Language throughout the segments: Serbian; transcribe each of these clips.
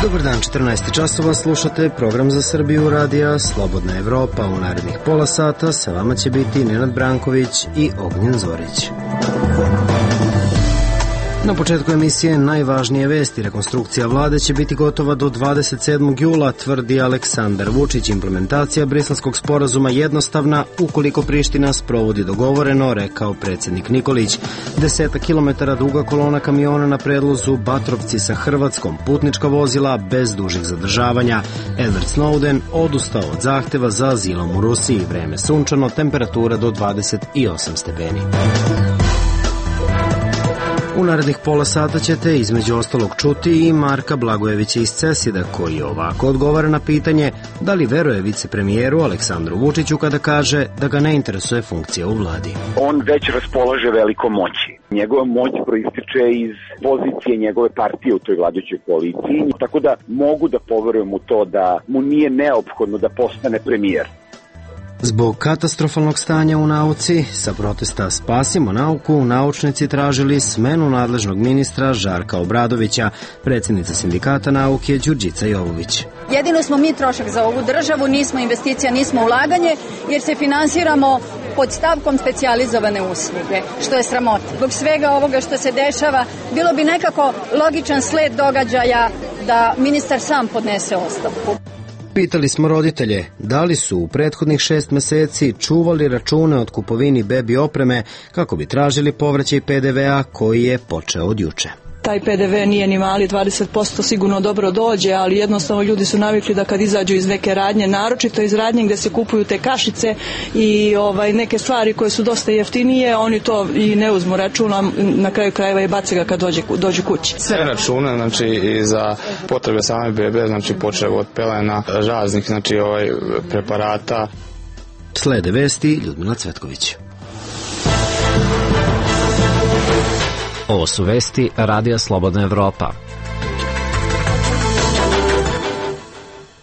Dobar dan, 14 časova, slušate program za Srbiju radija Slobodna Evropa. U narednih pola sata sa vama će biti Nenad Branković i Ognjen Zorić. Na početku emisije najvažnije vesti. Rekonstrukcija vlade će biti gotova do 27. jula, tvrdi Aleksandar Vučić. Implementacija Briselskog sporazuma jednostavna ukoliko Priština sprovodi dogovoreno, rekao predsjednik Nikolić. 10 kilometara duga kolona kamiona na predlozu Batrovci sa Hrvatskom, putnička vozila bez dužih zadržavanja. Edward Snowden odustao od zahteva za azilom u Rusiji. Vreme sunčano, temperatura do 28 stepeni. U narednih pola sata ćete između ostalog čuti i Marka Blagojevića iz Cesida, koji ovako odgovara na pitanje da li veruje vicepremijeru Aleksandru Vučiću kada kaže da ga ne interesuje funkcija u vladi. On već raspolaže velikom moći. Njegova moć proističe iz pozicije njegove partije u toj vladajućoj koaliciji, tako da mogu da poverujem u to da mu nije neophodno da postane premijer. Zbog katastrofalnog stanja u nauci, sa protesta Spasimo nauku, naučnici tražili smenu nadležnog ministra Žarka Obradovića. Predsjednica sindikata nauke Đurđica Jovović. Jedino smo mi trošak za ovu državu, nismo investicija, nismo ulaganje, jer se finansiramo pod stavkom specijalizovane usluge, što je sramota. Zbog svega ovoga što se dešava, bilo bi nekako logičan sled događaja da ministar sam podnese ostavku. Pitali smo roditelje da li su u prethodnih 6 meseci čuvali račune od kupovini bebi opreme kako bi tražili povraćaj PDV-a koji je počeo od juče. Taj PDV nije ni mali, 20% sigurno dobro dođe, ali jednostavno ljudi su navikli da kad izađu iz neke radnje, naročito iz radnje gde se kupuju te kašice i neke stvari koje su dosta jeftinije, oni to i ne uzmu računa, na kraju krajeva i bace ga kad dođu kući. Sve račune, znači i za potrebe same bebe, znači počeo od pelena, raznih, znači preparata. Slede vesti, Ljudmila Cvetković. Ovo su vesti Radija Slobodna Evropa.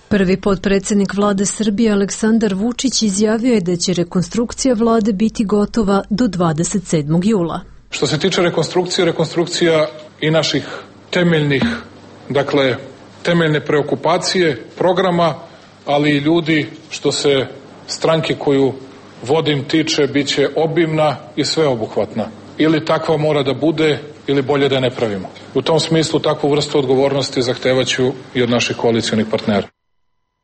Prvi potpredsjednik vlade Srbije Aleksandar Vučić izjavio je da će rekonstrukcija vlade biti gotova do 27. jula. Što se tiče rekonstrukcija i naših temeljnih, temeljne preokupacije, programa, ali i ljudi, što se stranke koju vodim tiče, bit će obimna i sveobuhvatna. Ili takva mora da bude, ili bolje da ne pravimo. U tom smislu takvu vrstu odgovornosti zahtevaću i od naših koalicionih partnera.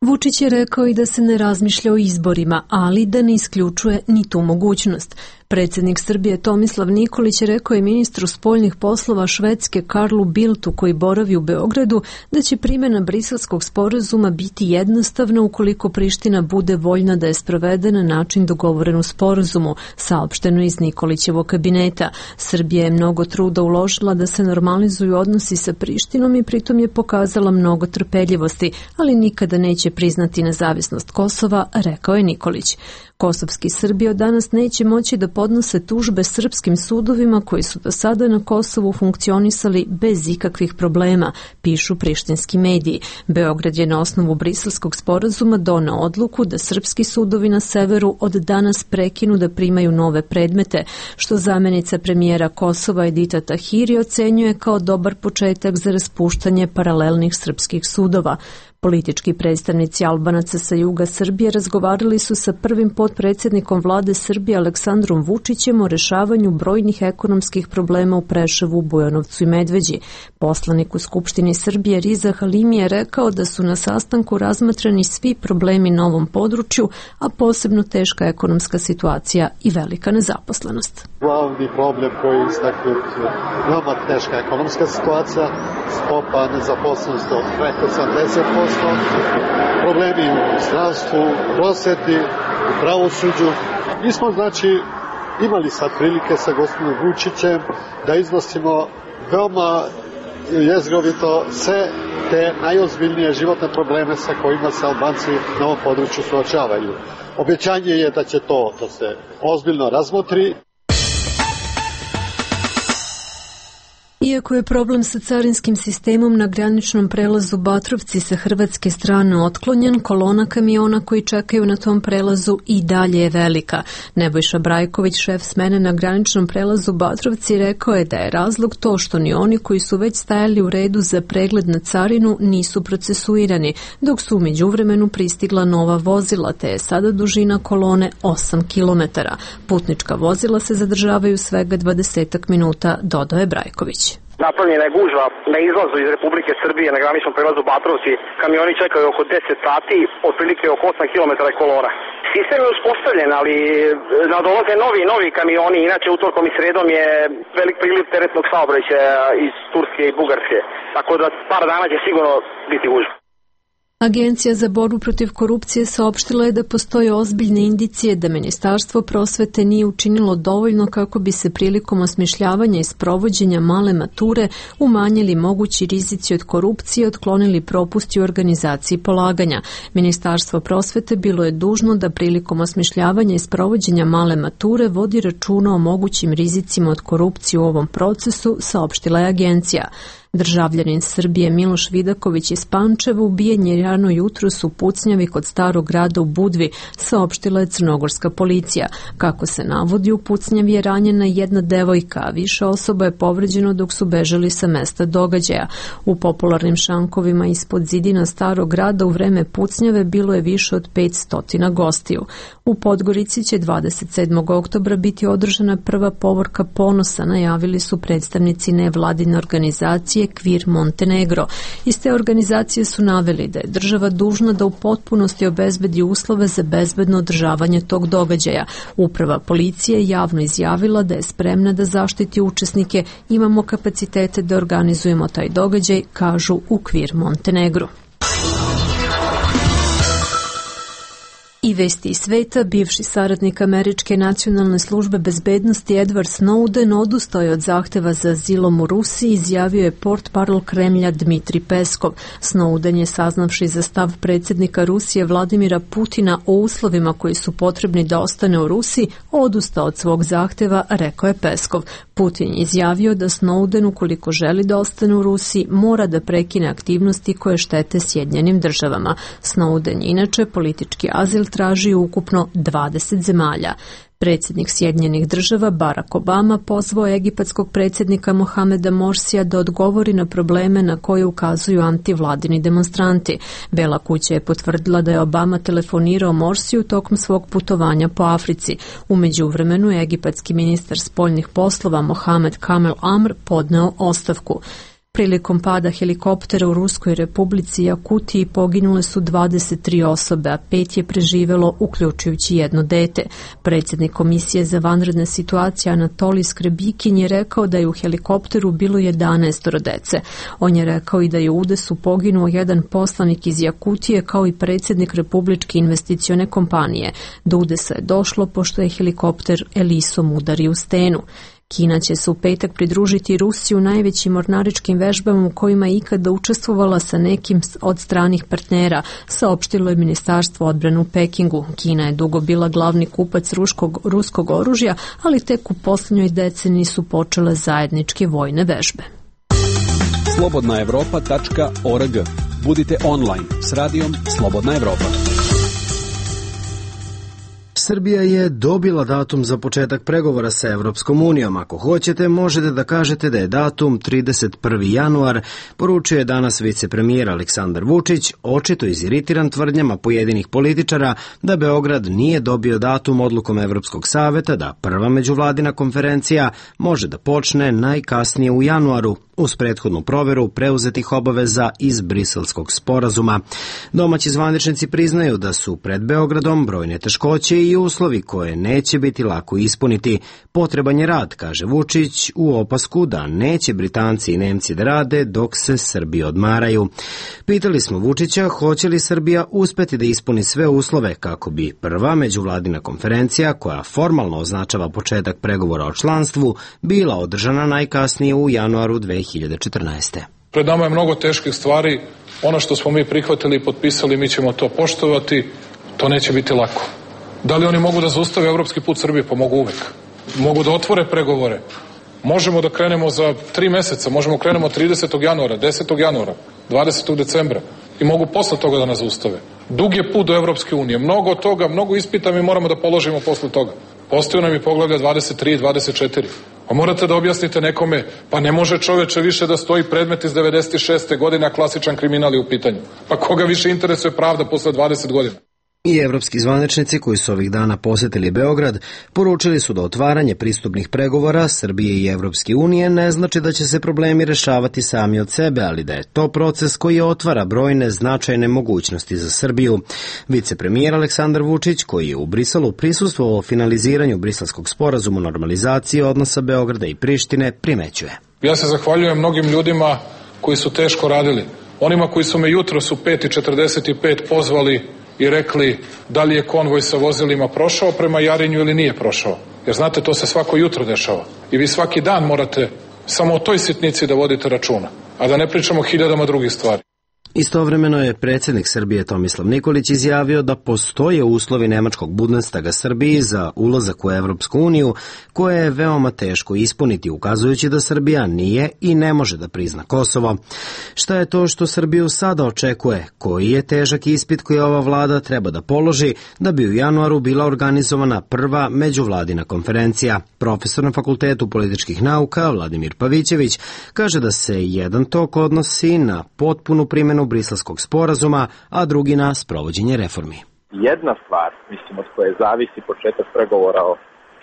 Vučić je rekao i da se ne razmišlja o izborima, ali da ne isključuje ni tu mogućnost. Predsjednik Srbije Tomislav Nikolić rekao je ministru spoljnih poslova Švedske Karlu Bildtu, koji boravi u Beogradu, da će primjena Briselskog sporazuma biti jednostavna ukoliko Priština bude voljna da je sprovede na način dogovoren u sporazumu, saopšteno iz Nikolićevog kabineta. Srbija je mnogo truda uložila da se normalizuju odnosi sa Prištinom i pritom je pokazala mnogo trpeljivosti, ali nikada neće priznati nezavisnost Kosova, rekao je Nikolić. Kosovski Srbi od danas neće moći da podnose tužbe srpskim sudovima koji su do sada na Kosovu funkcionisali bez ikakvih problema, pišu prištinski mediji. Beograd je na osnovu Briselskog sporazuma doneo odluku da srpski sudovi na severu od danas prekinu da primaju nove predmete, što zamenica premijera Kosova Edita Tahiri ocenjuje kao dobar početak za raspuštanje paralelnih srpskih sudova. Politički predstavnici Albanaca sa juga Srbije razgovarali su sa prvim potpredsjednikom vlade Srbije Aleksandrom Vučićem o rešavanju brojnih ekonomskih problema u Preševu, Bujanovcu i Medveđi. Poslanik u Skupštini Srbije Riza Halimi je rekao da su na sastanku razmatrani svi problemi na ovom području, a posebno teška ekonomska situacija i velika nezaposlenost. Glavni problem koji istaknut je veoma teška ekonomska situacija, stopa nezaposlenosti od preko 70%, problemi u zdravstvu, prosveti, u pravosuđu. Mi smo imali sad prilike sa gospodinom Vučićem da iznosimo veoma jezgrovito sve te najozbiljnije životne probleme sa kojima se Albanci na ovom području suočavaju. Obećanje je da će to da se ozbiljno razmotri. Iako je problem sa carinskim sistemom na graničnom prelazu Batrovci sa hrvatske strane otklonjen, kolona kamiona koji čekaju na tom prelazu i dalje je velika. Nebojša Brajković, šef smene na graničnom prelazu Batrovci, rekao je da je razlog to što ni oni koji su već stajali u redu za pregled na carinu nisu procesuirani, dok su u međuvremenu pristigla nova vozila, te je sada dužina kolone 8 km. Putnička vozila se zadržavaju svega 20 minuta, dodao je Brajković. Napravljena je gužva na izlazu iz Republike Srbije na graničnom prelazu Batrovci. Kamioni čekaju oko 10 sati, otprilike oko 8 km je kolona. Sistem je uspostavljen, ali nadolaze novi kamioni. Inače, utorkom i sredom je velik priliv teretnog saobraćaja iz Turske i Bugarske. Tako da par dana će sigurno biti gužva. Agencija za borbu protiv korupcije saopštila je da postoje ozbiljne indicije da Ministarstvo prosvete nije učinilo dovoljno kako bi se prilikom osmišljavanja i sprovođenja male mature umanjili mogući rizici od korupcije i otklonili propusti u organizaciji polaganja. Ministarstvo prosvete bilo je dužno da prilikom osmišljavanja i sprovođenja male mature vodi računa o mogućim rizicima od korupcije u ovom procesu, saopštila je agencija. Državljanin Srbije Miloš Vidaković iz Pančeva ubijen je rano jutros u pucnjavi kod Starog grada u Budvi, saopštila je crnogorska policija. Kako se navodi, u pucnjavi je ranjena jedna devojka, a više osoba je povređeno dok su bežali sa mesta događaja. U popularnim šankovima ispod zidina Starog grada u vreme pucnjave bilo je više od 500 gostiju. U Podgorici će 27. oktobra biti održana prva povorka ponosa, najavili su predstavnici nevladine organizacije Kvir Montenegro. Iz te organizacije su naveli da je država dužna da u potpunosti obezbedi uslove za bezbedno održavanje tog događaja. Uprava policije javno izjavila da je spremna da zaštiti učesnike, imamo kapacitete da organizujemo taj događaj, kažu u Kvir Montenegro. I vesti iz sveta, bivši saradnik Američke nacionalne službe bezbednosti Edward Snowden odustao je od zahteva za azilom u Rusiji, izjavio je portparol Kremlja Dmitri Peskov. Snowden je, saznavši za stav predsjednika Rusije Vladimira Putina o uslovima koji su potrebni da ostane u Rusiji, odustao od svog zahteva, rekao je Peskov. Putin je izjavio da Snowden, ukoliko želi da ostane u Rusiji, mora da prekine aktivnosti koje štete Sjedinjenim državama. Snowden inače politički azil traži ukupno 20 zemalja. Predsjednik Sjedinjenih država Barack Obama pozvao egipatskog predsjednika Mohameda Morsija da odgovori na probleme na koje ukazuju antivladini demonstranti. Bela kuća je potvrdila da je Obama telefonirao Morsiju tokom svog putovanja po Africi. U međuvremenu je egipatski ministar spoljnih poslova Mohamed Kamel Amr podneo ostavku. Prilikom pada helikoptera u Ruskoj republici Jakutiji poginule su 23 osobe, a 5 je preživelo, uključujući jedno dete. Predsjednik Komisije za vanredne situacije Anatolij Skrebikin je rekao da je u helikopteru bilo 11 dece. On je rekao i da je u udesu poginuo jedan poslanik iz Jakutije kao i predsjednik Republičke investicione kompanije. Do udesa je došlo pošto je helikopter elisom udario u stenu. Kina će se u petak pridružiti Rusiji u najvećim mornaričkim vežbama u kojima je ikada učestvovala sa nekim od stranih partnera, saopštilo je Ministarstvo odbrane u Pekingu. Kina je dugo bila glavni kupac ruskog oružja, ali tek u posljednjoj deceniji su počele zajedničke vojne vežbe. Slobodnaevropa.org. Budite online s radijom Slobodna Evropa. Srbija je dobila datum za početak pregovora sa Evropskom unijom. Ako hoćete, možete da kažete da je datum 31. januar, poručio je danas vicepremijer Aleksandar Vučić, očito iziritiran tvrdnjama pojedinih političara da Beograd nije dobio datum odlukom Evropskog saveta da prva međuvladina konferencija može da počne najkasnije u januaru, uz prethodnu proveru preuzetih obaveza iz Briselskog sporazuma. Domaći zvaničnici priznaju da su pred Beogradom brojne teškoće i uslovi koje neće biti lako ispuniti. Potreban je rad, kaže Vučić, u opasku da neće Britanci i Nemci da rade dok se Srbi odmaraju. Pitali smo Vučića hoće li Srbija uspeti da ispuni sve uslove kako bi prva međuvladina konferencija, koja formalno označava početak pregovora o članstvu, bila održana najkasnije u januaru 2014. Pred nama je mnogo teških stvari. Ono što smo mi prihvatili i potpisali, mi ćemo to poštovati. To neće biti lako. Da li oni mogu da zaustave evropski put Srbije? Pa mogu uvek. Mogu da otvore pregovore. Možemo da krenemo za 3 meseca, možemo krenemo 30. januara, 10. januara, 20. decembra i mogu posle toga da nas zaustave. Dug je put do Evropske unije. Mnogo toga, mnogo ispita mi moramo da položimo posle toga. Postaju nam i poglavlja 23 i 24. A morate da objasnite nekome, pa ne može čoveče više da stoji predmet iz 96. godine, a klasičan kriminal je u pitanju. Pa koga više interesuje pravda posle 20 godina? I evropski zvaničnici koji su ovih dana posetili Beograd poručili su da otvaranje pristupnih pregovora Srbije i Evropske unije ne znači da će se problemi rešavati sami od sebe, ali da je to proces koji otvara brojne značajne mogućnosti za Srbiju. Vicepremijer Aleksandar Vučić, koji je u Briselu prisustvovao finaliziranju Briselskog sporazuma o normalizaciji odnosa Beograda i Prištine, primećuje. Ja se zahvaljujem mnogim ljudima koji su teško radili. Onima koji su me jutros u 5:45 pozvali i rekli da li je konvoj sa vozilima prošao prema Jarinju ili nije prošao. Jer znate, to se svako jutro dešava. I vi svaki dan morate samo o toj sitnici da vodite računa, a da ne pričamo o hiljadama drugih stvari. Istovremeno je predsjednik Srbije Tomislav Nikolić izjavio da postoje uslovi nemačkog Bundestaga Srbiji za ulazak u Evropsku uniju, koje je veoma teško ispuniti, ukazujući da Srbija nije i ne može da prizna Kosovo. Šta je to što Srbiju sada očekuje? Koji je težak ispit koji ova vlada treba da položi da bi u januaru bila organizovana prva međuvladina konferencija? Profesor na Fakultetu političkih nauka Vladimir Pavićević kaže da se jedan tok odnosi na potpunu primjenu Briselskog sporazuma, a drugi na sprovođenje reformi. Jedna stvar, mislim, od koje zavisi početak pregovora o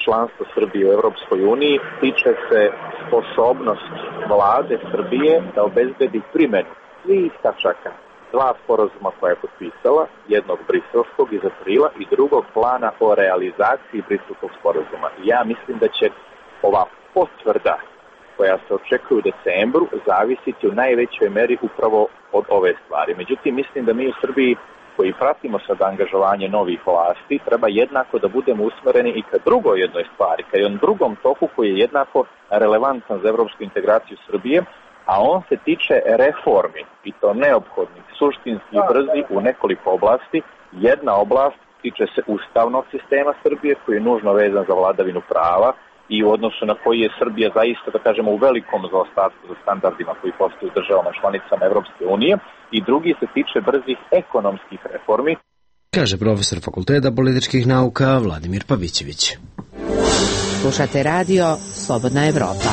članstvu Srbije u Evropskoj uniji, tiče se sposobnost vlade Srbije da obezbedi primjenu svih tačaka 2 sporazuma koje je potpisala, jednog briselskog iz aprila i drugog plana o realizaciji briselskog sporazuma. Ja mislim da će ova potvrda koja se očekuje u decembru zavisiti u najvećoj meri upravo od ove stvari. Međutim, mislim da mi u Srbiji koji pratimo sad angažovanje novih vlasti treba jednako da budemo usmereni i ka drugoj jednoj stvari, ka jednom drugom toku koji je jednako relevantan za evropsku integraciju Srbije, a on se tiče reformi i to neophodnih, suštinski i brzi u nekoliko oblasti. Jedna oblast tiče se ustavnog sistema Srbije koji je nužno vezan za vladavinu prava i u odnosu na koji je Srbija zaista, da kažemo, u velikom zaostatku za standardima koji postoje u državama članicama Evropske unije, i drugi se tiče brzih ekonomskih reformi. Kaže profesor Fakulteta političkih nauka Vladimir Pavićević. Slušate radio Slobodna Evropa.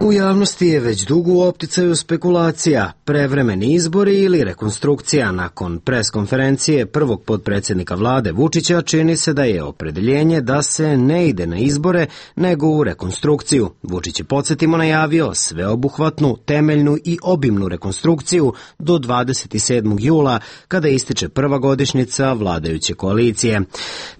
U javnosti je već dugo u opticaju spekulacija, prevremeni izbori ili rekonstrukcija. Nakon preskonferencije prvog potpredsjednika vlade Vučića čini se da je opredeljenje da se ne ide na izbore nego u rekonstrukciju. Vučić je, podsjetimo, najavio sveobuhvatnu, temeljnu i obimnu rekonstrukciju do 27. jula, kada ističe prva godišnjica vladajuće koalicije.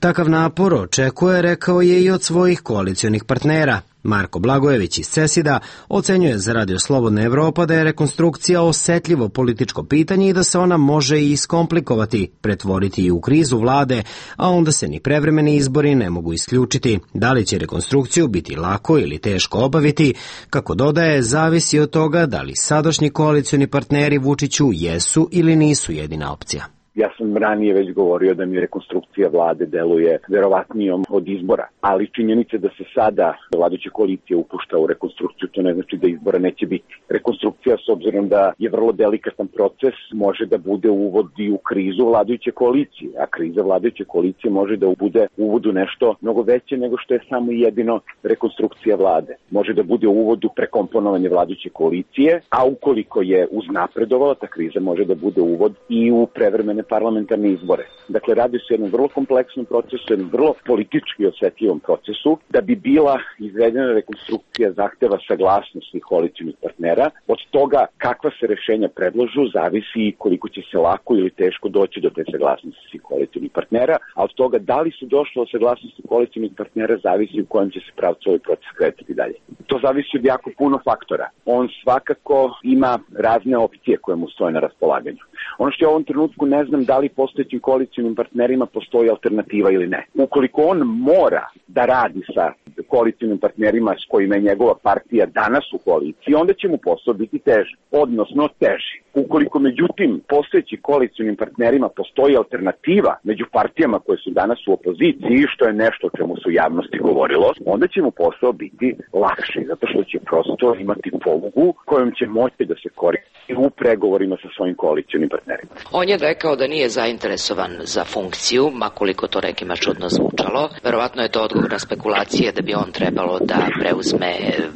Takav napor očekuje, rekao je, i od svojih koalicionih partnera. Marko Blagojević iz CESID-a ocenjuje za Radio Slobodna Evropa da je rekonstrukcija osetljivo političko pitanje i da se ona može i iskomplikovati, pretvoriti i u krizu vlade, a onda se ni prevremeni izbori ne mogu isključiti. Da li će rekonstrukciju biti lako ili teško obaviti, kako dodaje, zavisi od toga da li sadašnji koalicioni partneri Vučiću jesu ili nisu jedina opcija. Ja sam ranije već govorio da mi rekonstrukcija vlade deluje verovatnijom od izbora, ali činjenica da se sada vladajuća koalicija upušta u rekonstrukciju, to ne znači da izbora neće biti. Rekonstrukcija, s obzirom da je vrlo delikatan proces, može da bude uvod i u krizu vladajuće koalicije, a kriza vladajuće koalicije može da bude uvod u nešto mnogo veće nego što je samo jedino rekonstrukcija vlade. Može da bude uvod u prekomponovanje vladajuće koalicije, a ukoliko je uznapredovala, ta kriza može da bude uvod i u prevremene parlamentarne izbore. Dakle, radi se o jednom vrlo kompleksnom procesu, jednom vrlo politički osjetljivom procesu. Da bi bila izvedena rekonstrukcija zahteva saglasnost svih koalicionih partnera. Od toga kakva se rešenja predložu zavisi koliko će se lako ili teško doći do te saglasnosti svih koalicionih partnera, a od toga da li su došli do saglasnosti koalicionih partnera zavisi u kojem će se pravcu ovaj proces kretati dalje. To zavisi od jako puno faktora. On svakako ima razne opcije koje mu stoje na raspolaganju. Ono što ja u ovom trenutku ne znam znam da li postojećim koalicionim partnerima postoji alternativa ili ne. Ukoliko on mora da radi sa koalicionim partnerima s kojima je njegova partija danas u koaliciji, onda će mu posao biti teži, odnosno teži. Ukoliko međutim postojeći koalicionim partnerima postoji alternativa među partijama koje su danas u opoziciji, što je nešto o čemu su javnosti govorilo, onda će mu posao biti lakši, zato što će prosto imati polugu kojom će moći da se koristi u pregovorima sa svojim koalicionim partnerima. On je rekao da nije zainteresovan za funkciju, makoliko to nekima čudno zvučalo. Verovatno je to odgovor na spekulacije da bi on trebalo da preuzme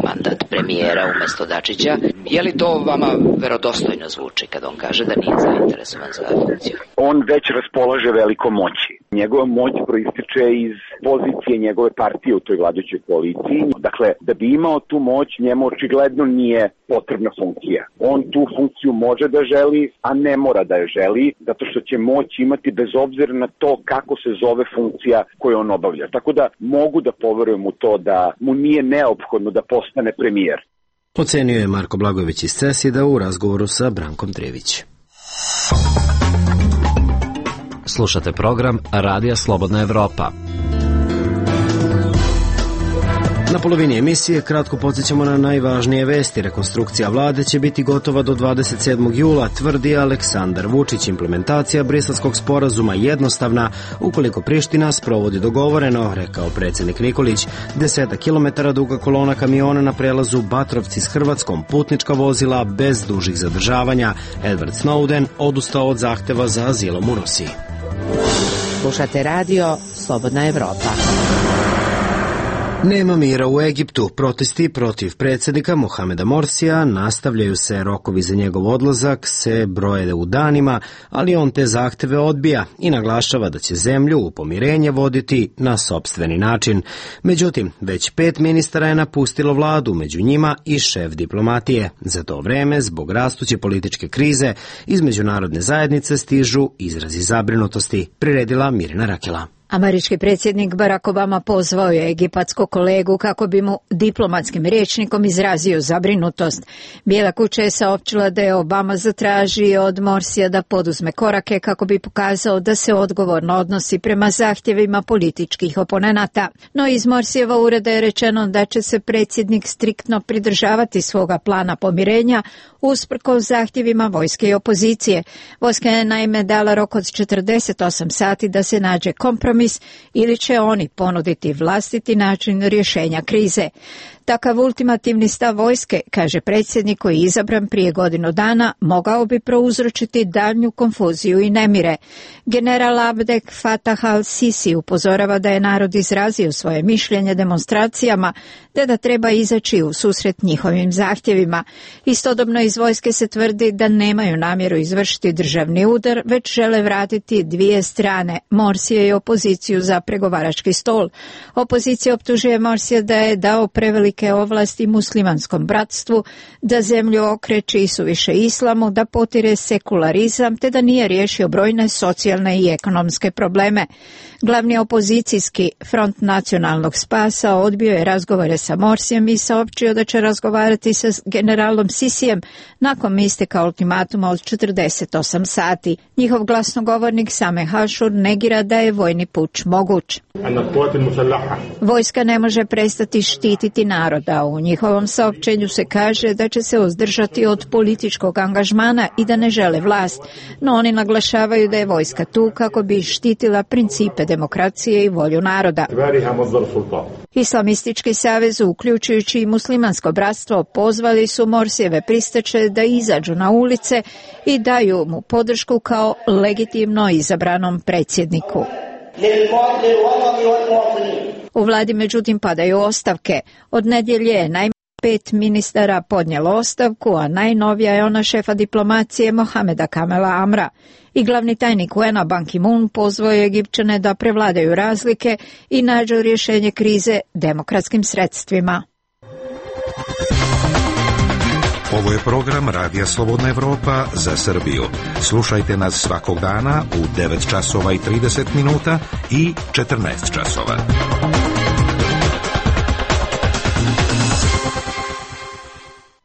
mandat premijera umesto Dačića. Je li to vama verodostojno zvuči kad on kaže da nije zainteresovan za funkciju? On već raspolaže velikom moći. Njegova moć proističe iz pozicije njegove partije u toj vladajućoj koaliciji. Dakle, da bi imao tu moć, njemu očigledno nije potrebna funkcija. On tu funkciju može da želi, a ne mora da je želi, zato što će moć imati bez obzira na to kako se zove funkcija koju on obavlja. Tako da mogu da poverujem u to da mu nije neophodno da postane premijer. Ocenio je Marko Blagojević iz CESID-a u razgovoru sa Brankom Trević. Slušate program Radija Slobodna Evropa. Na polovini emisije kratko podsjećamo na najvažnije vesti. Rekonstrukcija vlade će biti gotova do 27. jula, tvrdi Aleksandar Vučić. Implementacija Briselskog sporazuma jednostavna ukoliko Priština sprovodi dogovoreno, rekao predsjednik Nikolić. 10 kilometara duga kolona kamiona na prelazu Batrovci s Hrvatskom, putnička vozila bez dužih zadržavanja. Edward Snowden odustao od zahteva za azilom u Rusiji. Slušate radio Slobodna Evropa. Nema mira u Egiptu. Protesti protiv predsjednika Mohameda Morsija nastavljaju se, rokovi za njegov odlazak se broje u danima, ali on te zahteve odbija i naglašava da će zemlju u pomirenje voditi na sopstveni način. Međutim, već 5 ministara je napustilo vladu, među njima i šef diplomatije. Za to vreme, zbog rastuće političke krize, iz međunarodne zajednice stižu izrazi zabrinutosti, priredila Mirina Rakela. Američki predsjednik Barack Obama pozvao je egipatskog kolegu kako bi mu diplomatskim rječnikom izrazio zabrinutost. Bijela kuća je saopćila da je Obama zatražio od Morsija da poduzme korake kako bi pokazao da se odgovorno odnosi prema zahtjevima političkih oponenata. No iz Morsijeva ureda je rečeno da će se predsjednik striktno pridržavati svoga plana pomirenja usprkos zahtjevima vojske i opozicije. Vojska je naime dala rok od 48 sati da se nađe kompromis ili će oni ponuditi vlastiti način rješenja krize. Takav ultimativni stav vojske, kaže predsjednik koji je izabran prije godinu dana, mogao bi prouzročiti daljnju konfuziju i nemire. General Abdel Fattah al-Sisi upozorava da je narod izrazio svoje mišljenje demonstracijama, te da treba izaći u susret njihovim zahtjevima. Istodobno iz vojske se tvrdi da nemaju namjeru izvršiti državni udar, već žele vratiti dvije strane, Morsije i opoziciju, za pregovarački stol. Opozicija optužuje Morsija da je dao prevelike ovlasti muslimanskom bratstvu, da zemlju okreće isuviše islamu, da potire sekularizam, te da nije riješio brojne socijalne i ekonomske probleme. Glavni opozicijski Front nacionalnog spasa odbio je razgovore sa Morsijem i saopćio da će razgovarati sa generalom Sisijem nakon isteka ultimatuma od 48 sati. Njihov glasnogovornik Sameh Hashur negira da je vojni puč moguć. Vojska ne može prestati štititi naroda. U njihovom saopćenju se kaže da će se uzdržati od političkog angažmana i da ne žele vlast, no oni naglašavaju da je vojska tu kako bi štitila principe demokracije i volju naroda. Islamistički savez, uključujući i muslimansko bratstvo, pozvali su Morsijeve pristače da izađu na ulice i daju mu podršku kao legitimno izabranom predsjedniku. U vladi međutim padaju ostavke. Od nedjelje je najmanje 5 ministara podnijelo ostavku, a najnovija je ona šefa diplomacije Mohameda Kamela Amra. I glavni tajnik UN-a Ban Ki-moon pozvao je Egipćane da prevladaju razlike i nađu rješenje krize demokratskim sredstvima. Ovo je program Radija Slobodna Evropa za Srbiju. Slušajte nas svakog dana u 9 časova i 30 minuta i 14 časova.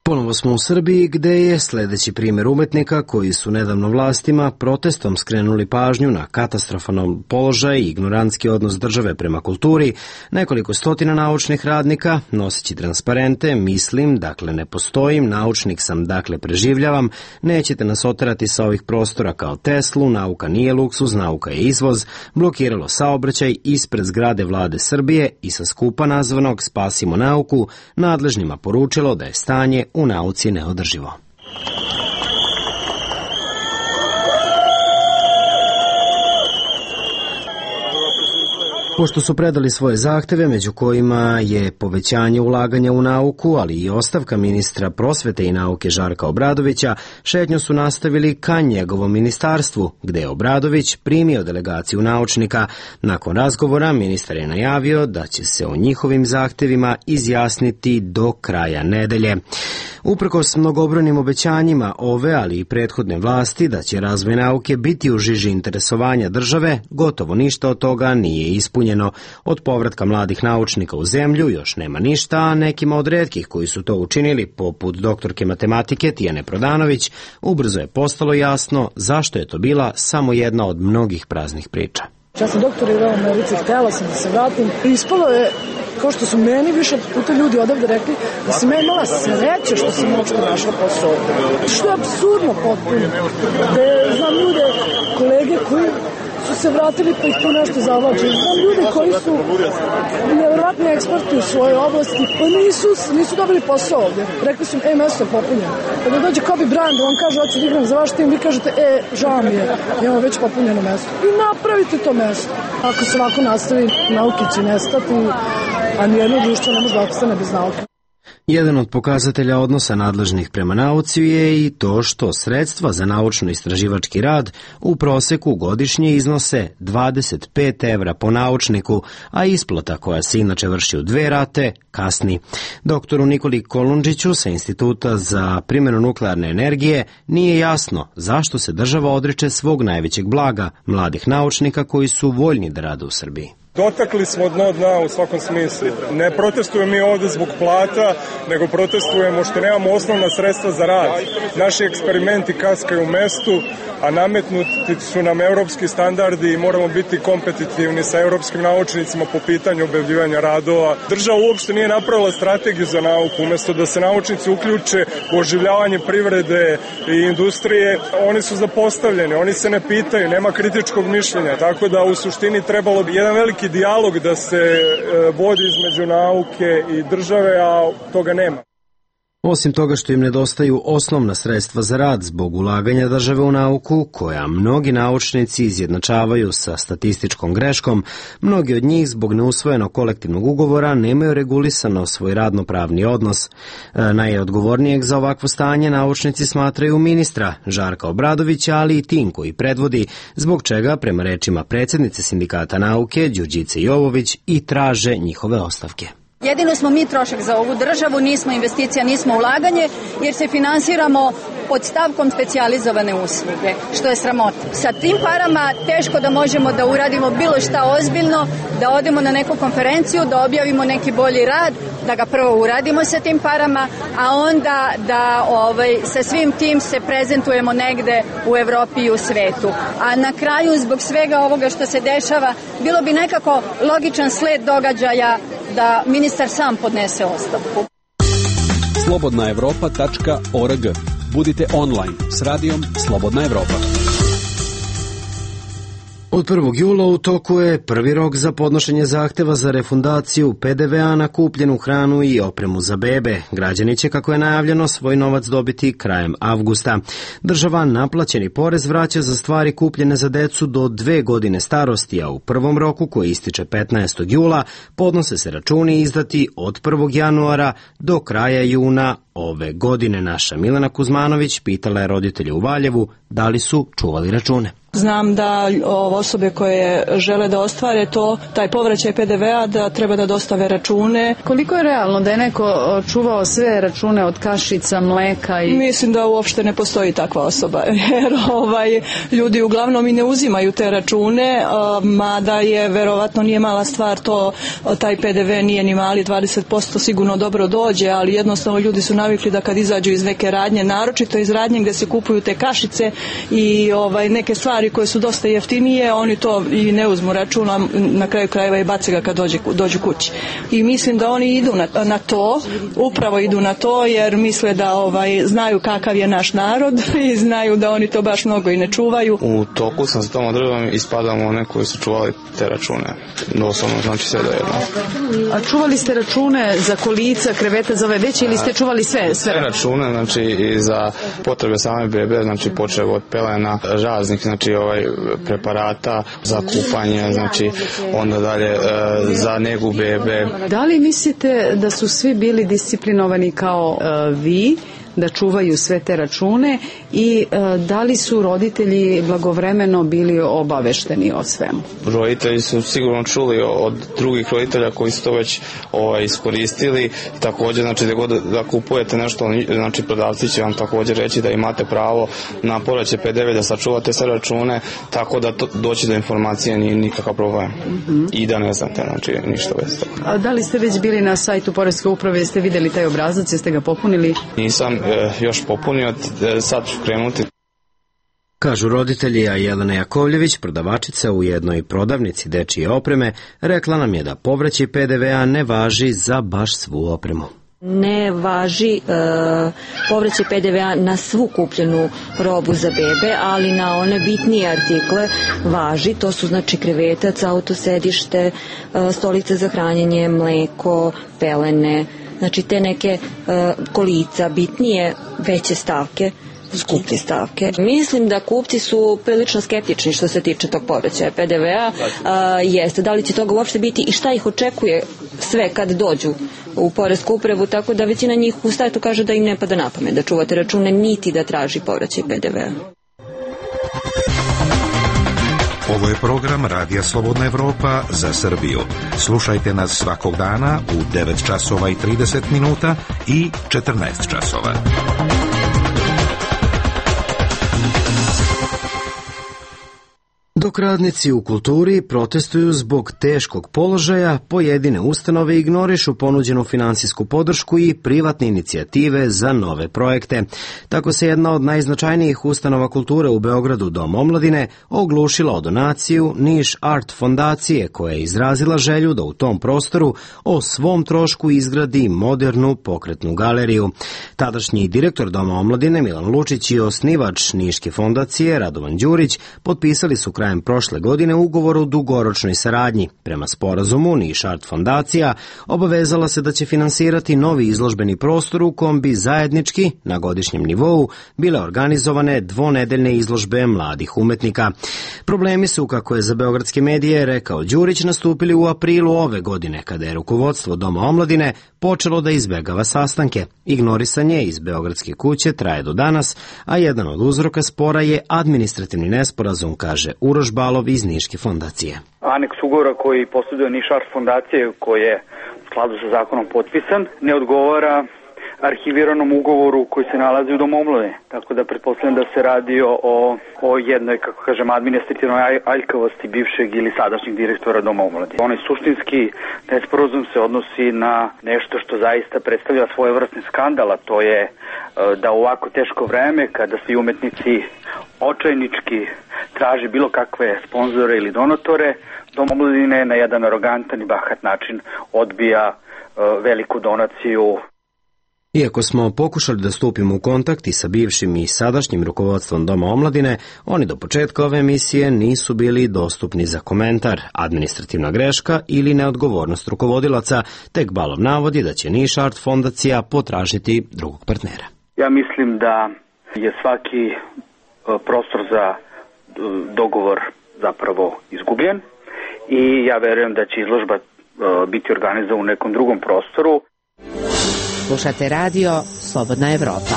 Ponovno Ponovo smo u Srbiji gde je sledeći primjer umetnika koji su nedavno vlastima protestom skrenuli pažnju na katastrofalan položaj i ignorantski odnos države prema kulturi. Nekoliko stotina naučnih radnika, noseći transparente, mislim, dakle ne postojim, naučnik sam, dakle preživljavam, nećete nas oterati sa ovih prostora kao Teslu, nauka nije luksuz, nauka je izvoz, blokiralo saobraćaj ispred zgrade vlade Srbije i sa skupa nazvanog Spasimo nauku nadležnima poručilo da je stanje u nauci neodrživo. Pošto su predali svoje zahteve, među kojima je povećanje ulaganja u nauku, ali i ostavka ministra prosvete i nauke Žarka Obradovića, šetnju su nastavili ka njegovom ministarstvu, gde je Obradović primio delegaciju naučnika. Nakon razgovora, ministar je najavio da će se o njihovim zahtevima izjasniti do kraja nedelje. Uprkos mnogobrojnim obećanjima ove, ali i prethodne vlasti da će razvoj nauke biti u žiži interesovanja države, gotovo ništa od toga nije ispunjeno. Od povratka mladih naučnika u zemlju još nema ništa, a nekima od retkih koji su to učinili, poput doktorke matematike Tijane Prodanović, ubrzo je postalo jasno zašto je to bila samo jedna od mnogih praznih priča. Ja sam doktorirala u Americi, htjela sam da se vratim i ispalo je, kao što su meni više puta ljudi odavde rekli, da sam ja imala sreće što sam uopšte našla posao. Što je apsurdno potpuno. Znam ljude, kolege koji su se vratili pa ih tu nešto zavlačili. Znam ljude koji su nevjerojatni eksperti u svojoj oblasti pa nisu dobili posao ovdje. Rekli su im, mesto je popunjeno. Kada dođe Kobe Bryant da vam kaže, hoću da igram za vaš tim, vi kažete, žao mi je, imamo već popunjeno mesto. I napravite to mesto. Ako se ovako nastavi, nauke će nestati, a nijedno društvo ne može da opstane bez nauke. Jedan od pokazatelja odnosa nadležnih prema nauci je i to što sredstva za naučno-istraživački rad u proseku godišnje iznose 25 evra po naučniku, a isplata koja se inače vrši u 2 rate kasni. Doktoru Nikoli Kolundžiću sa Instituta za primjenu nuklearne energije nije jasno zašto se država odriče svog najvećeg blaga, mladih naučnika koji su voljni da rade u Srbiji. Dotakli smo dno dna u svakom smislu. Ne protestujemo mi ovde zbog plata, nego protestujemo što nemamo osnovna sredstva za rad. Naši eksperimenti kaskaju u mestu, a nametnuti su nam evropski standardi i moramo biti kompetitivni sa evropskim naučnicima po pitanju objavljivanja radova. Država uopšte nije napravila strategiju za nauku. Umesto da se naučnici uključe u oživljavanje privrede i industrije, oni su zapostavljeni, oni se ne pitaju, nema kritičkog mišljenja, tako da u suštini trebalo bi jedan veliki dijalog da se vodi između nauke i države, a toga nema. Osim toga što im nedostaju osnovna sredstva za rad zbog ulaganja države u nauku, koja mnogi naučnici izjednačavaju sa statističkom greškom, mnogi od njih zbog neusvojenog kolektivnog ugovora nemaju regulisano svoj radno-pravni odnos. Najodgovornijeg za ovakvo stanje naučnici smatraju ministra Žarka Obradovića, ali i tim koji predvodi, zbog čega, prema rečima predsjednice Sindikata nauke Đurđice Jovović, i traže njihove ostavke. Jedino smo mi trošak za ovu državu, nismo investicija, nismo ulaganje, jer se finansiramo pod stavkom specijalizovane usluge, što je sramota. Sa tim parama teško da možemo da uradimo bilo šta ozbiljno, da odemo na neku konferenciju, da objavimo neki bolji rad, da ga prvo uradimo sa tim parama, a onda da sa svim tim se prezentujemo negde u Evropi i u svetu. A na kraju, zbog svega ovoga što se dešava, bilo bi nekako logičan sled događaja da ministar sam podnese ostavku. slobodnaevropa.org. Budite online s radijom Slobodna Evropa. Od 1. jula u toku je prvi rok za podnošenje zahteva za refundaciju PDV-a na kupljenu hranu i opremu za bebe. Građani će, kako je najavljeno, svoj novac dobiti krajem avgusta. Država naplaćeni porez vraća za stvari kupljene za decu do 2 godine starosti, a u prvom roku, koji ističe 15. jula, podnose se računi izdati od 1. januara do kraja juna ove godine. Naša Milena Kuzmanović pitala je roditelje u Valjevu da li su čuvali račune. Znam da osobe koje žele da ostvare to, taj povraćaj PDV-a, da treba da dostave račune. Koliko je realno da je neko čuvao sve račune od kašica, mleka i... Mislim da uopšte ne postoji takva osoba, jer ljudi uglavnom i ne uzimaju te račune, mada je verovatno nije mala stvar to, taj PDV nije ni mali, 20% sigurno dobro dođe, ali jednostavno ljudi su navikli da kad izađu iz neke radnje, naročito iz radnje gde se kupuju te kašice i neke stvari koje su dosta jeftinije, oni to i ne uzmu računa, na kraju krajeva i bace ga kad dođu kući. I mislim da oni idu na to, upravo idu na to, jer misle da znaju kakav je naš narod i znaju da oni to baš mnogo i ne čuvaju. U toku sam s tom održavom ispadamo one koji su čuvali te račune. Doslovno, znači sve do jedno. A čuvali ste račune za kolica, kreveta, za ove veće ili ste čuvali sve račune, znači i za potrebe same bebe, znači počeo od pelena, raznih, znači preparata za kupanje, znači onda dalje za negu bebe. Da li mislite da su svi bili disciplinovani kao vi, da čuvaju sve te račune i da li su roditelji blagovremeno bili obavešteni o svemu? Roditelji su sigurno čuli od drugih roditelja koji su to već iskoristili. Također, znači da kupujete nešto, znači prodavci će vam također reći da imate pravo na povraćaj PDV, da sačuvate sve račune, tako da doći do informacije nije nikakav problem. I da ne znate, znači ništa bez toga. A da li ste već bili na sajtu Poreske uprave, jeste vidjeli taj obrazac, jeste ga popunili? Nisam još popunio, sad ću krenuti. Kažu roditelji, a Jelena Jakovljević, prodavačica u jednoj prodavnici dečije opreme, rekla nam je da povraćaj PDV-a ne važi za baš svu opremu. Ne važi povraćaj PDV-a na svu kupljenu robu za bebe, ali na one bitnije artikle važi. To su znači krevetac, autosedište, stolice za hranjenje, mleko, pelene, znači te neke kolica, bitnije, veće stavke, skuplje stavke. Mislim da kupci su prilično skeptični što se tiče tog povraćaja PDV-a. Jeste, da li će toga uopšte biti i šta ih očekuje sve kad dođu u Poresku upravu, tako da većina njih u startu kaže da im ne pada na pamet da čuvate račune niti da traži povraćaj PDV-a. Ovo je program Radija Slobodna Evropa za Srbiju. Slušajte nas svakog dana u 9 časova i 30 minuta i 14 časova. Dok radnici u kulturi protestuju zbog teškog položaja, pojedine ustanove ignorišu ponuđenu finansijsku podršku i privatne inicijative za nove projekte. Tako se jedna od najznačajnijih ustanova kulture u Beogradu, Dom omladine, oglušila o donaciju Niš Art fondacije, koja je izrazila želju da u tom prostoru o svom trošku izgradi modernu pokretnu galeriju. Tadašnji direktor Doma omladine Milan Lučić i osnivač Niške fondacije Radovan Đurić potpisali su krajem prošle godine ugovor o dugoročnoj saradnji. Prema sporazumu, Niš Art fondacija obavezala se da će finansirati novi izložbeni prostor u kom bi zajednički, na godišnjem nivou, bile organizovane dvonedeljne izložbe mladih umetnika. Problemi su, kako je za beogradske medije rekao Đurić, nastupili u aprilu ove godine, kada je rukovodstvo Doma omladine počelo da izbegava sastanke. Ignorisanje iz Beogradske kuće traje do danas, a jedan od uzroka spora je administrativni nesporazum, kaže Uroš Balov iz Niške fondacije. Aneks ugovora koji posjeduje Niš Art fondacije, koji je u skladu sa zakonom potpisan, ne odgovara arhiviranom ugovoru koji se nalazi u Domu omladine. Tako da pretpostavljam da se radi o jednoj, kako kažem, administrativnoj aljkavosti bivšeg ili sadašnjeg direktora Doma omladine. Onaj suštinski nesporazum se odnosi na nešto što zaista predstavlja svojevrsni skandal, a to je da u ovako teško vreme, kada svi umetnici očajnički traži bilo kakve sponzore ili donatore, Dom omladine na jedan arogantan i bahat način odbija veliku donaciju. Iako smo pokušali da stupimo u kontakt i sa bivšim i sadašnjim rukovodstvom Doma omladine, oni do početka ove emisije nisu bili dostupni za komentar, administrativna greška ili neodgovornost rukovodilaca, tek Balov navodi da će Niš Art fondacija potražiti drugog partnera. Ja mislim da je svaki prostor za dogovor zapravo izgubljen i ja verujem da će izložba biti organizovana u nekom drugom prostoru. Slušate radio Slobodna Evropa.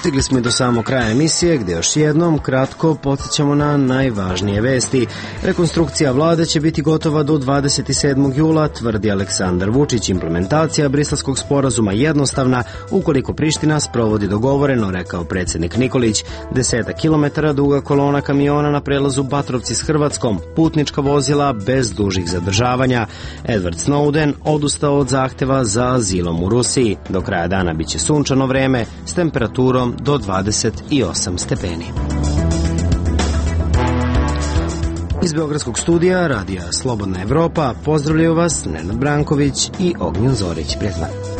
Stigli smo i do samog kraja emisije, gde još jednom kratko podsjećamo na najvažnije vesti. Rekonstrukcija vlade će biti gotova do 27. jula, tvrdi Aleksandar Vučić. Implementacija Briselskog sporazuma jednostavna ukoliko Priština sprovodi dogovoreno, rekao predsjednik Nikolić. 10 kilometara duga kolona kamiona na prelazu Batrovci s Hrvatskom, putnička vozila bez dužih zadržavanja. Edward Snowden odustao od zahteva za azilom u Rusiji. Do kraja dana biće sunčano vreme s temperaturom do 28 stepeni. Iz Beogradskog studija Radija Slobodna Evropa pozdravljaju vas Nenad Branković i Ognjen Zorić. Prijatno.